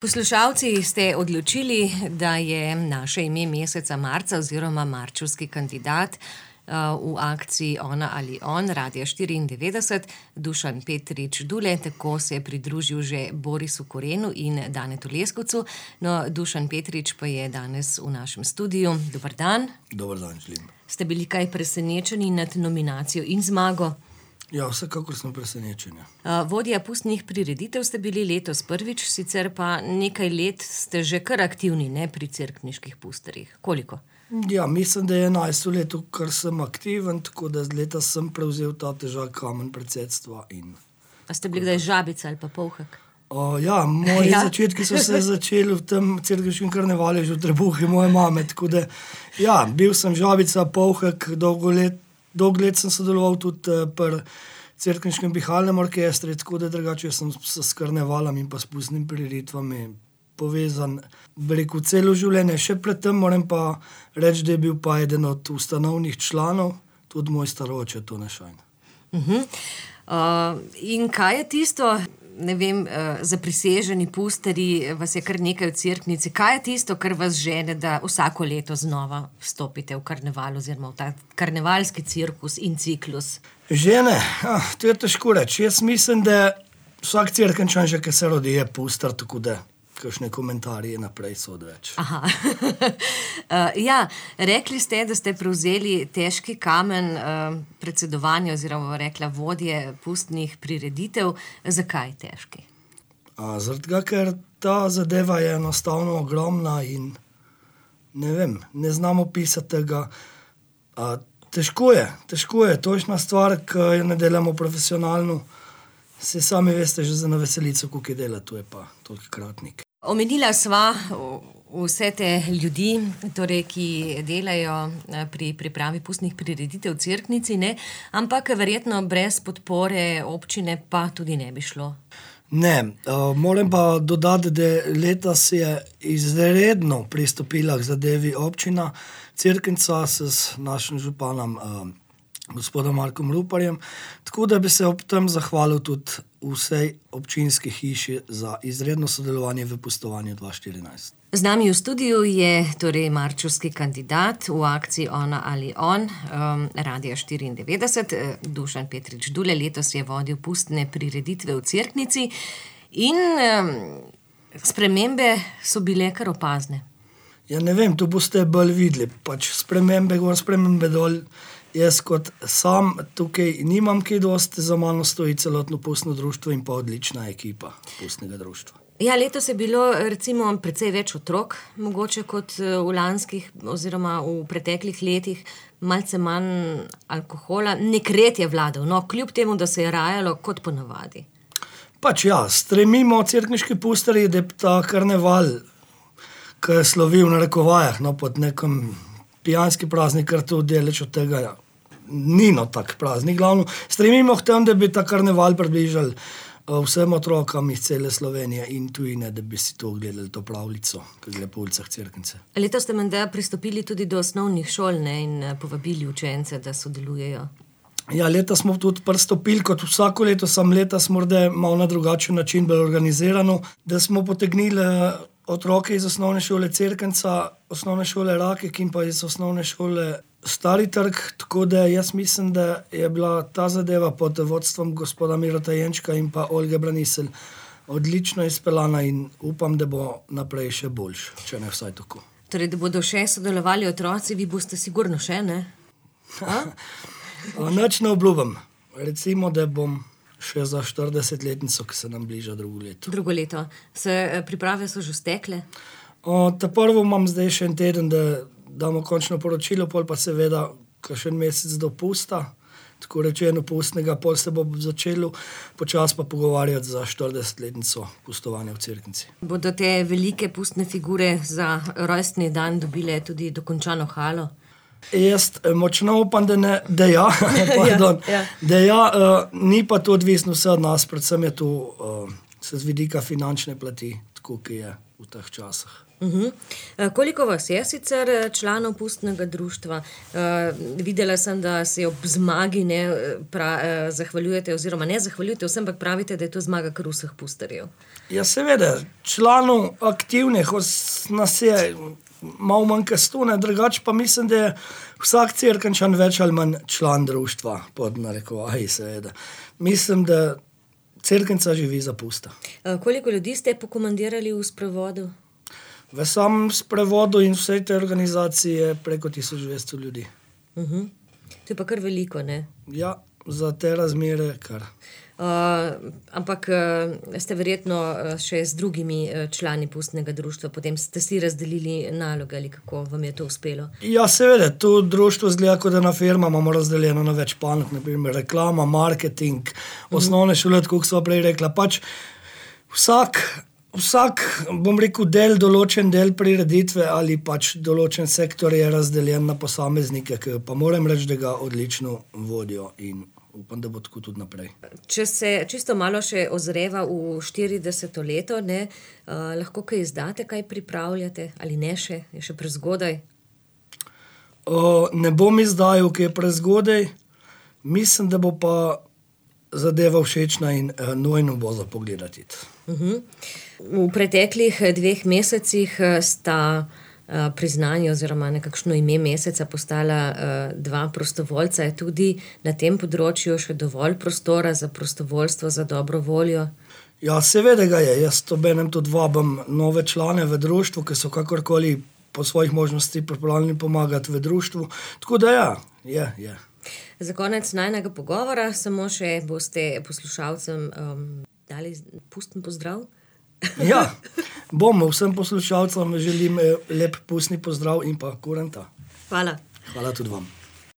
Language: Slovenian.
Poslušalci ste odločili, da je naše ime meseca marca oziroma marčevski kandidat v akciji Ona ali on, Radia 94, Dušan Petrič Dule, tako se je pridružil že Borisu Korenu in Danetu Leskovcu. No, Dušan Petrič pa je danes v našem studiu. Dober dan. Dober dan, želim. Ste bili kaj presenečeni nad nominacijo in zmago? Ja, vsekakor smo presenečeni. Vodja pustnih prireditev ste bili letos prvič, sicer pa nekaj let ste že kar aktivni, ne, pri cerkniških pusterjih. Koliko? Ja, mislim, da je 11 let, kar sem aktiven, tako da z leta sem prevzel ta težak kamen predsedstva. A ste bili kdaj Žabica ali pa Polhek? Ja, moji začetki so se začeli v tem cerkniškem karnevalu že v trebuhi moje mame, tako da ja, bil sem Žabica, Polhek, dolgo let sem sodeloval tudi pri cerkniškem pihalnem orkestru, tako da drugače sem s karnevalom in pa s pustnimi prireditvami povezan, rekel, celo življenje. Še predtem moram pa reči, da je bil pa eden od ustanovnih članov, tudi moj staroče, Tone Šajn. In kaj je tisto, ne vem, zapriseženi pusterji, vas je kar nekaj v cerknici, kaj je tisto, kar vas žene, da vsako leto znova vstopite v karneval oziroma v ta karnevalski cirkus in ciklus? Žene? To je težko reči. Jaz mislim, da vsak cerkenčan že, ki se rodi, je puster, tako da kakšne komentarje naprej so odveč. Aha. Ja, rekli ste, da ste prevzeli težki kamen predsedovanja oziroma rekla vodje pustnih prireditev. Zakaj težki? Zaradi tega, ker ta zadeva je enostavno ogromna in ne vem, ne znam opisati tega. Težko je, točna stvar, ki jo ne delamo profesionalno. Se sami veste že za na veselico, koliko je dela, to je pa toliko kratnik. Omenila sva vse te ljudi, torej, ki delajo pri pripravi pustnih prireditev v cerknici, ne? Ampak verjetno brez podpore občine pa tudi ne bi šlo. Ne, moram pa dodati, da letos je izredno pristopila k zadevi občina Cerknica s našim županom gospodom Markom Ruparjem, tako da bi se ob tem zahvalil tudi vsej občinski hiši za izredno sodelovanje v pustovanju 2014. Z nami v studiu je torej marčevski kandidat v akciji Ona ali on, Radia 94, Dušan Petrič Dule, letos je vodil pustne prireditve v cerknici in spremembe so bile kar opazne. Ja, ne vem, to boste bolj videli, pač spremembe gor, spremembe dol. Jaz kot sam tukaj nimam kaj dosti, za mano stoji celotno pustno društvo in pa odlična ekipa pustnega društva. Ja, letos je bilo recimo precej več otrok, mogoče kot v lanskih oziroma v preteklih letih, malce manj alkohola, nek red je vladal, no, kljub temu, da se je rajalo kot ponavadi. Pač ja, stremimo cerkniški pusterji, da je ta karneval, ki je slovil na narekovajah, no, pod nekom pijanski praznik, kar to deleč od tega ni no tak praznik. Glavno, stremimo k tem, da bi ta karneval približali vsem otrokam iz cele Slovenije in tujine, da bi si to gledali, to pravljico, ki gre po ulicah Cerknice. Letos ste menda pristopili tudi do osnovnih šol, ne, in povabili učence, da sodelujejo. Ja, letos smo tudi pristopili, kot vsako leto, sam letos morda malo na drugačen način bolj organizirano, da smo potegnili otroke iz osnovne šole Cerknica, osnovne šole Rakek in pa iz osnovne šole Stari trg, tako da jaz mislim, da je bila ta zadeva pod vodstvom gospoda Mirota Jenčka in pa Olge Braniselj odlično izpeljana in upam, da bo naprej še boljš, če ne vsaj tako. Torej, da bodo še sodelovali otroci, vi boste sigurno še, ne? Nič ne obljubim. Recimo, da bom še za 40-letnico, ki se nam bliža drugo leto. Drugo leto. Priprave so že stekle? Ta prvo imam zdaj še en teden, da damo končno poročilo, pol pa seveda kakšen mesec dopusta, tako rečeno pustnega, pol se bo začelo počas pa pogovarjati za 40-letnico pustovanja v Cerknici. Bodo te velike pustne figure za rojstni dan dobile tudi dokončano halo? Jaz močno upam, da ja, ni pa to odvisno vse od nas, predvsem je to z vidika finančne plati, tako, ki je v teh časih. Koliko vas je sicer članov pustnega društva? Videla sem, da se ob zmagi zahvaljujete, oziroma ne zahvaljujete vsem, ampak pravite, da je to zmaga kar vseh pusterjev. Ja, seveda, članov aktivnih nas je malo manj kot 100, drugače pa mislim, da je vsak Cerkničan več ali manj član društva, pod narekovaji seveda. Mislim, da Cerknica živi za pusta. Koliko ljudi ste pokomandirali v sprevodu? V samem sprevodu in vsej te organizacije preko 1200 ljudi. To je pa kar veliko, ne? Ja, za te razmere kar. Ampak ste verjetno še z drugimi člani pustnega društva, potem ste si razdelili naloge ali kako vam je to uspelo? Ja, seveda, to društvo zgleda, kot da na firma imamo razdeljeno na več panog, naprimer reklama, marketing, osnovne šole, kot sva prej rekla. Pač vsak, bom rekel, določen del prireditve ali pač določen sektor je razdeljen na posameznike, ki pa moram reči, da ga odlično vodijo in upam, da bo tako tudi naprej. Če se čisto malo še ozreva v 40. leto, lahko kaj izdate, kaj pripravljate ali ne še? Je še prezgodaj? Ne bom izdajal, ki je prezgodaj. Mislim, da bo pa zadeva všečna in nujno bo za pogledati. V preteklih 2 mesecih sta priznanje oziroma nekakšno ime meseca postala 2 prostovoljca. Je tudi na tem področju še dovolj prostora za prostovoljstvo, za dobro voljo? Ja, seveda ga je. Jaz obenem tudi vabim nove člane v društvu, ki so kakorkoli po svojih možnosti pripravljeni pomagati v društvu. Tako da ja, je. Za konec najnega pogovora samo še boste poslušalcem dali pusten pozdrav? Ja, vsem poslušalcem želim lep pustni pozdrav in pa kurenta. Hvala. Hvala tudi vam.